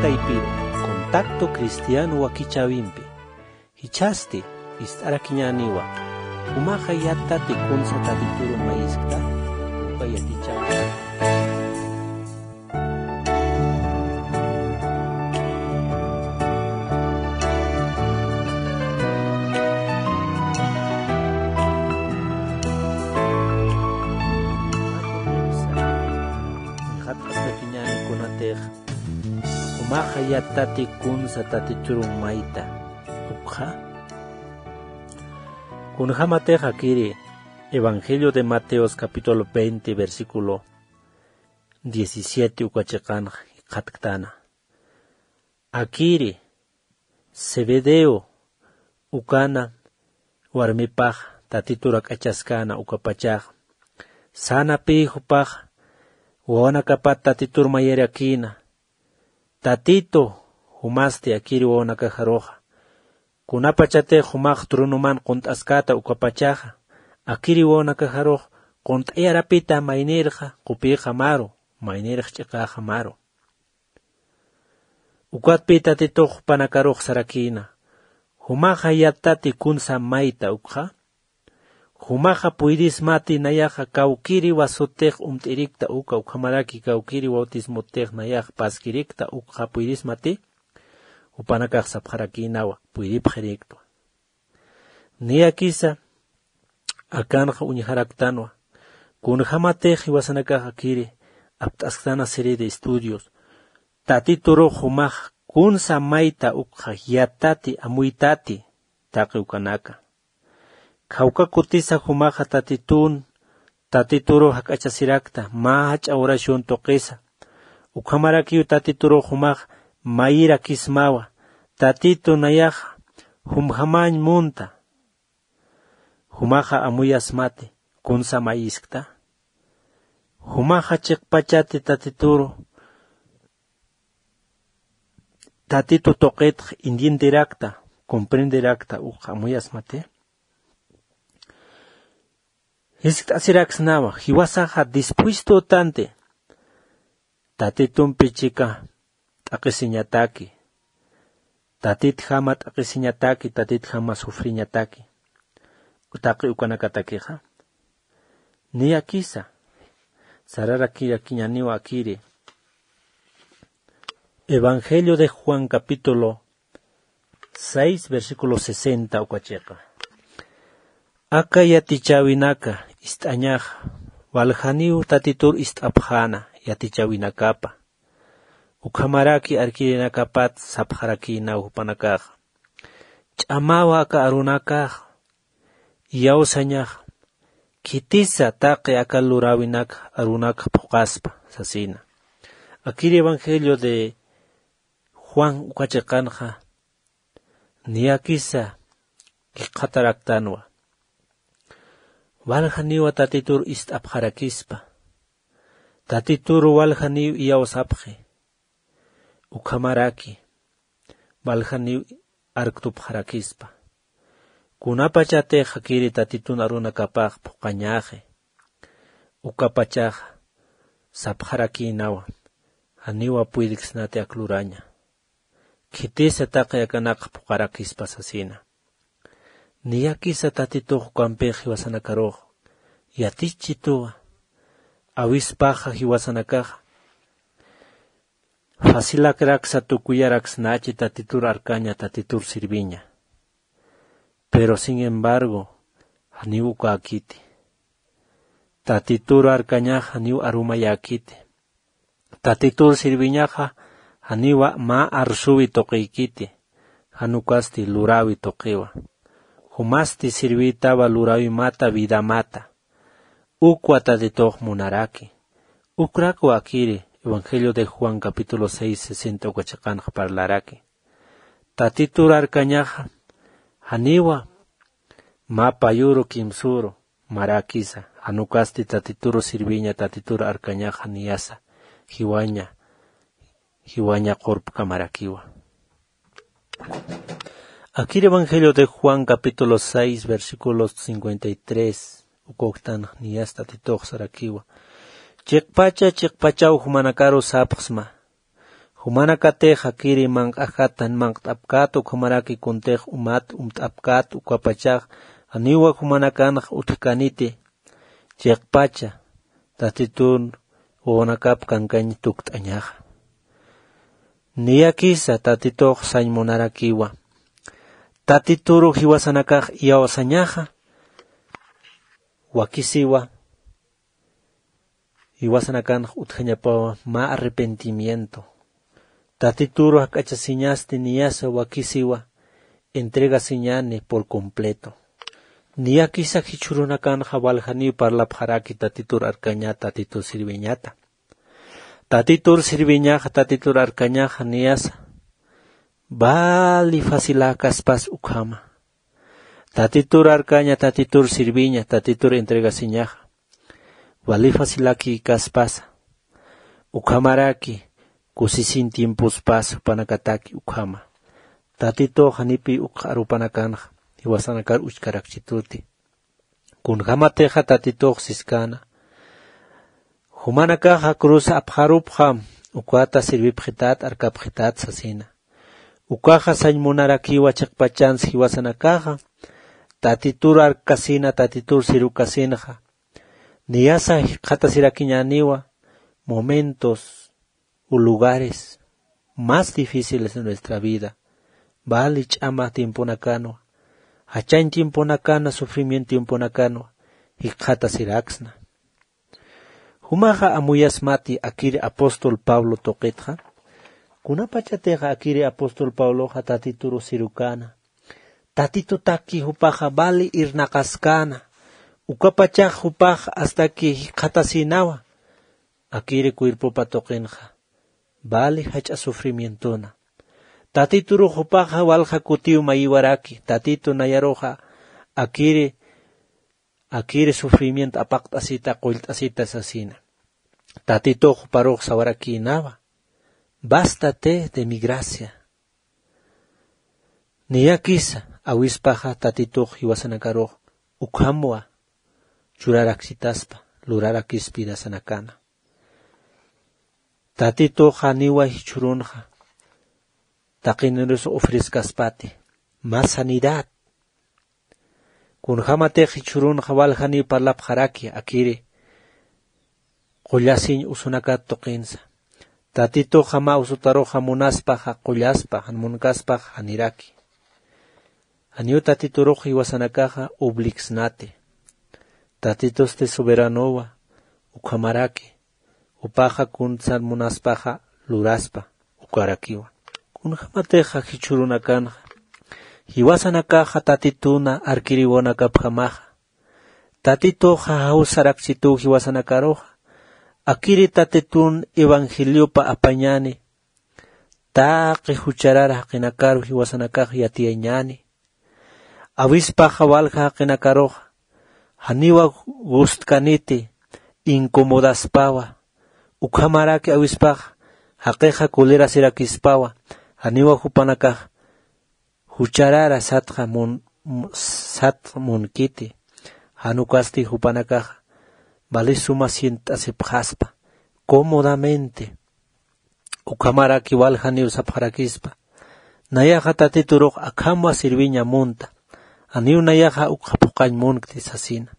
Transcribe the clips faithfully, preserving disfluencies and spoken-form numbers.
Contacto Cristiano wakichäwimpi. Jichhasti ist'arakiñäniwa. Jumaxa yattati kunsa Tatituru mayiskta, uka yatichäwi. Jat'askakiñäni kunatix jumaxa yattati kunsa Tatituru mayta ukxa. Kunjämatix akiri Evangelio de Mateos capítulo veinte, versículo diecisiete uka chiqanx jikxatktäna. Akiri Zebedeo ukana warmipax Tatitur jak'achaskäna ukapachax, sänapï jupax wawanakapat Tatitur mayirakïna: Tatitu, jumasti akiri wawanakaxaruxa, kunapachatix jumax tronoman qunt'askäta ukapachaxa, akiri wawanakaxarux qunt'ayarapita maynïrxa qupïxamaru, maynïrx ch'iqäxamaru. Ukatpï Tatitux jupanakarux sarakïna: Jumaxa yattati kunsa mayta ukxa. Jumaxa puydismati nayaxa kawkïriwa sutix umt'irikta uka, ukhamaraki kawkïri bautismotix nayax paskirikta ukxa puydismati. Jupanakax sapxarakïnawa: Puydipxiriktwa. Niyakisa akanxa uñjaraktanwa. Kunjämatix jiwasanakax akiri apt'asktana serie de estudios, Tatiturux jumax kunsa mayta ukxa yattati, amuytati taqi ukanaka. Kawka kutisa jumaxa Tatitun, Tatituru jak'achasirakta mä jach'a oración tuqisa. Ukhamarakiw Tatiturux jumax mayirakismawa: Tatitu, nayaxa jumjamañ munta. Jumaxa amuyasmati kunsa mayiskta. Jumaxa chiqpachati Tatituru, Tatitu tuqitx entienderakta, comprenderakta ukxa amuyasmati. Jiskt'asiraksnawa, jiwasaxa dispuesto tanti Tatitumpi chika t'aqhisiñataki, Tatitjama t'aqhisiñataki, Tatitjama sufriñataki, taqi ukanakatakixa. Niyakisa sararakirakiñäniwa akiri Evangelio de Juan capítulo seis, versículo sesenta uka chiqa. Aka yatichäwinaka ist'añaxa waljaniw Tatitur ist'apxäna yatichäwinakapa. Ukhamaraki arkirinakapat sapxarakïnaw jupanakaxa: Ch'amawa aka arunakaxa, iyawsañaxa, khitisa taqi aka luräwinak arunakxa phuqaspa, sasina. Akir Evangelio de Juan uka chiqanxa niyakisa jikxataraktanwa. Waljaniwa Tatitur ist'apxarakispa. Tatitur waljaniw iyawsapxi. Ukhamaraki waljaniw arktupxarakispa. Kunapachatix akiri Tatitun arunakapax phuqañaxi, ukapachaxa sapxarakïnawa: Janiwa puyriksnati ak luraña. Khitisa taqi akanakxa phuqarakispa sasina. Niyakisa Tatitux ukampix jiwasanakarux yatichituwa. Awispaxa jiwasanakaxa facilakraksa tukuyaraksnachi Tatitur arkaña, Tatitur sirviña. Pero sin embargo, janiw ukäkiti. Tatitur arkañaxa janiw arumayäkiti. Tatitur sirviñaxa janiwa mä arsuwi tuqïkiti, jan ukasti luräwi tuqiwa. Jumasti sirvïtawa luräwimata, vidamata. Ukwa Tatitux munaraki. Ukrakwa akiri Evangelio de Juan capítulo seis, sesenta uka chiqanxa parlaraki. Tatitur arkañaxa janiwa mä payuru kimsüru maräkisa, jan ukasti Tatituru sirviña, Tatitur arkañaxa niyasa jiwaña, jiwaña qurpkamarakiwa. Akir Evangelio de Juan capítulo seis, versículo cincuenta y tres, ukuktanx niyas Tatitux sarakiwa: Chiqpacha, chiqpachaw jumanakaru sapxsma: Jumanakatix akiri manq'ajat jan manq't'apkät ukhamaraki kuntix umat umt'apkät ukapachax janiwa jumanakanx utjkaniti chiqpacha tatitun wawanakap kankañ tukt'añaxa. Niyakisa tatitux sañ munarakiwa tatituru jiwasanakax iyawsañaxa. Wakisiwa jiwasanakanx utjañapawa mä arrepentimiento. Tatituru jak'achasiñasti niyasa wakisiwa entregasiñani por completo. Niyakisa jichhürunakanxa waljaniw parlapxaraki tatitur arkaña tatitur sirviñata. Tatitur sirviñaxa tatitur arkañaxa niyasa vali faciläkaspas ukhama. Tatitur arkaña tatitur sirviña tatitur entregasiñaxa vali faciläkikaspasa. Ukhamaraki kusisiñ tiempospas jupanakataki ukhama. Tatitux janipiy ukx arupanakanxa jiwasanakar uchkarakchituti. Kunjämatixa tatitux siskäna jumanakaxa cruz apxarupxam ukata sirvipxität arkapxität sasina. Ukaxa sañ munarakiwa chiqpachansa jiwasanakaxa tatitur arkasina tatitur sirukasinxa. Niyasa jikxatasirakiñäniwa momentos u lugares más difíciles de nuestra vida. Vali ch'ama tiemponakanwa jachañ tiemponakana sufrimiento tiemponakanwa jikxatasiraksna. Jumaxa amuyasmati akiri apóstol pablo tuqitxa. Kunapachatixa akiri apóstol pabloxa tatituru sirukäna tatitutaki jupaxa vali irnaqaskäna. Ukapachax jupax astaki jikxatasïnawa akiri cuerpopa tuqinxa vali jach'a sufrimientona. Tatiturux jupaxa walja kutiw mayiwaraki tatitu nayaruxa akiri akiri sufrimiento apaqt'asita qullt'asita sasina. Tatitux juparux sawarakïnawa bástate de mi gracia. Niyakisa awispaxa tatitux jiwasanakarux ukhamwa churaraksitaspa lurarakispa vidasanakana. Tatitux janiwa jichhürunxa taqinirus ofrezcaspati mä sanidad. Kunjämatix jichhürunxa waljaniw parlapxaraki akiri qullasiñ usunakat tuqinsa. Tatituxa mä usutaruxa munaspaxa qullaspa jan munkaspax janiraki. Janiw tatiturux jiwasanakaxa obligsnati. Tatitusti soberanowa ukhamaraki jupaxa kuntsan munaspaxa luraspa ukarakiwa. Kunjämatixa jichhürunakanxa jiwasanakaxa tatituna arkiriwanakapjamaxa tatituxa jawsarakchituw jiwasanakaruxa akiri tatitun evangeliopa apañani taqi jucharar jaqinakaru jiwasanakax yatiyañani. Awispaxa walja jaqinakaruxa janiwa gustkaniti incomodaspawa ukhamaraki awispaxa jaqixa colerasirakispawa janiwa jupanakax jucharara satxa mun satx munkiti. Jan ukasti jupanakaxa vali suma sient'asipxaspa cómodamente. Ukhamaraki waljaniw sapxarakispa nayaxa tatiturux akhamwa sirviña munta. Janiw nayaxa ukxa phuqañ munkti sasina.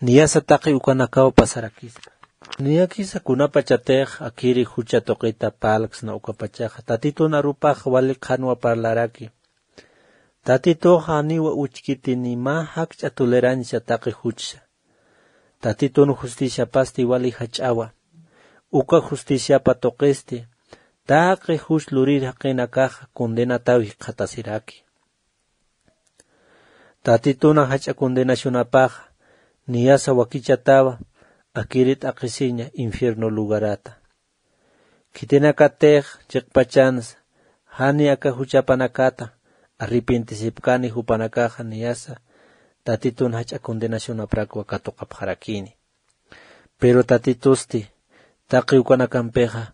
Niyasa taqi ukanakaw pasarakispa. Niyakisa kunapachatix akiri jucha tuqita parlksna ukapachaxa tatitun arupax wali qhanwa parlaraki. Tatituxa janiwa uchkiti ni mä jakch'a tolerancia taqi juchsa. Tatitun justiciapasti wali jach'awa. Uka justiciapa tuqisti taqi juch lurir jaqinakaxa condenataw jikxatasiraki. Tatituna jach'a condenacionapaxa niyasa wakichatawa akiri t'aqhisiña infierno lugarata. Khitinakatix chiqpachansa jani aka juchapanakata arrepentisipkani jupanakaxa niyasa tatitun jach'a condenacionaprakwa katuqapxarakini. Pero tatitusti taqi ukanakampixa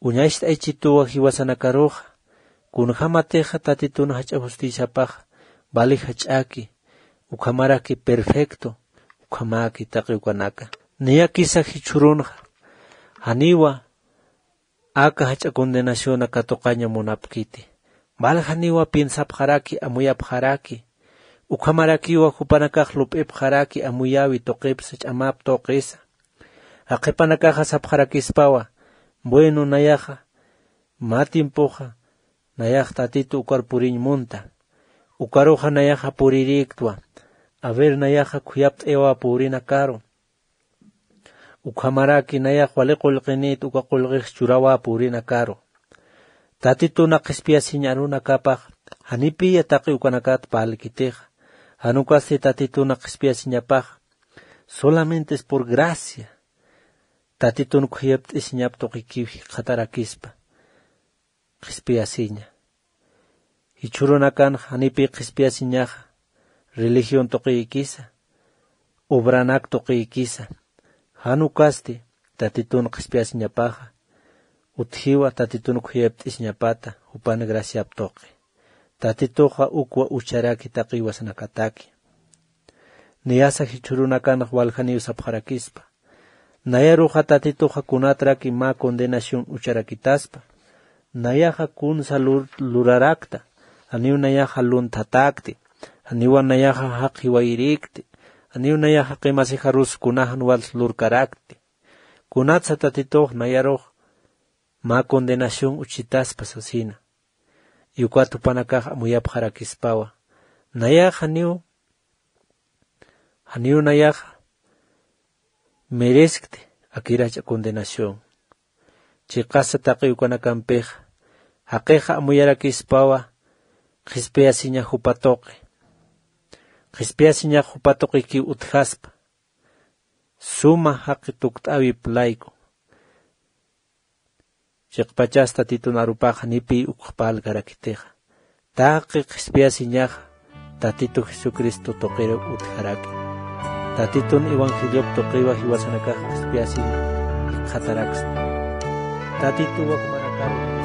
uñacht'aychituwa jiwasanakaruxa. Kunjämatixa tatitun jach'a justiciapaxa vali jach'aki ukhamaraki perfecto ukhamaki taqi ukanaka. Niyakisa jichhürunxa janiwa aka jach'a condenación katuqaña munapkiti. Waljaniwa piensapxaraki, amuyapxaraki. Ukhamarakiwa jupanakax lup'ipxaraki, amuyäwi tuqipsa, ch'amap tuqisa. Jaqhipanakaxa sapxarakispawa, bueno, nayaxa mä tiempoxa nayax Tatitu ukar puriñ munta. Ukaruxa nayaxa purirïktwa. A ver, nayaxa khuyapt'ayawa purinakaru. Ukhamaraki nayax wali qullqinït uka qullqix churäwa purinakaru. Tatitun qhispiyasiñ arunakapax, janipiya taqi ukanakat parlkitixa. Jan ukasti Tatitun qhispiyasiñapaxa, solamente es por gracia. Tatitun khuyapt'isiñap tuqikiw jikxatarakispa qhispiyasiña. Jichhürunakanxa janipi qhispiyasiñaxa religión tuqiykisa, obranak tuqiykisa. Jan ukasti Tatitun qhispiyasiñapaxa, utjiwa Tatitun khuyapt'isiñapata jupan graciap tuqi. Tatituxa ukwa ucharaki taqi iwasanakataki. Niyasa jichhürunakanxa waljaniw sapxarakispa. Nayaruxa Tatituxa kunatraki mä condenación ucharakitaspa. Nayaxa kunsa lur-, lurarakta, janiw nayaxa lunthatäkti, janiwa nayaxa jaqi jiwayirïkti, janiw nayaxa qimasixarus kunax jan wals lurkarakti. Kunatsa Tatitux nayarux mä condenación uchitaspa sasina. Y ukat jupanakax amuyapxarakispawa. Nayax janiw, janiw nayaxa mereskti akir jach'a condenación. Chiqasa taqi ukanakampix, jaqixa amuyarakispawa, qhispiyasiñax jupa tuqi. Qhispiyasiñax jupa tuqikiw utjaspa. Suma jaqi tukt'äwip layku. Chiqpachas Tatitun arupaxa janipiy ukx parlkarakitixa. Taqi qhispiyasiñaxa Tatitu Jesucristo tuqir utjaraki. Tatitun evangeliop tuqiwa jiwasanakax qhispiyasiñ jikxataraksta. Tatituwa jumanakaru